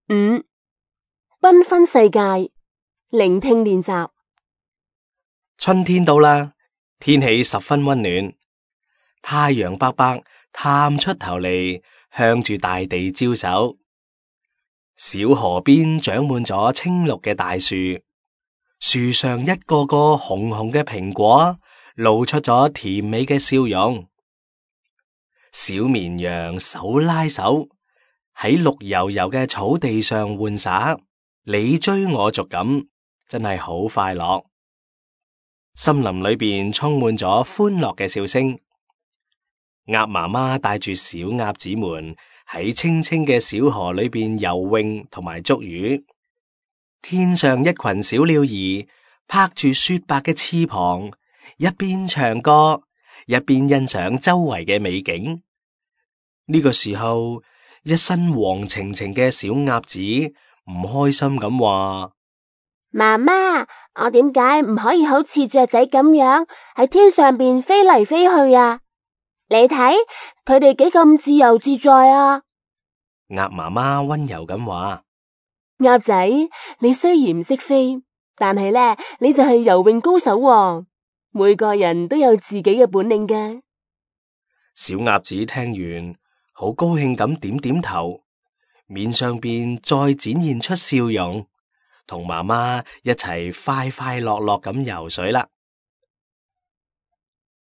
5. 繽紛世界，聆聽練習。春天到啦，天氣十分溫暖，太陽伯伯探出頭嚟，向住大地招手。小河邊長滿咗青綠嘅大樹，樹上一個個紅紅嘅蘋果，露出咗甜美嘅笑容。小綿羊手拉手喺綠油油嘅草地上玩耍，你追我逐咁，真係好快樂。森林裏邊充滿咗歡樂嘅笑聲。鴨媽媽帶住小鴨子們喺清清嘅小河裏邊游泳同埋捉魚。天上一群小鳥兒拍住雪白嘅翅膀，一邊唱歌，一邊欣賞周圍嘅美景。呢個時候，一身黃澄澄嘅小鴨子唔開心咁話：媽媽，我點解唔可以好似雀仔咁樣喺天上邊飛嚟飛去啊？你睇佢哋幾咁自由自在啊！鴨媽媽溫柔咁話：鴨仔，你雖然唔識飛，但係呢，你就係游泳高手喎。每個人都有自己嘅本領嘅。小鴨子聽完，好高興咁點點頭，面上邊再展現出笑容，同媽媽一齊快快樂樂咁游水啦。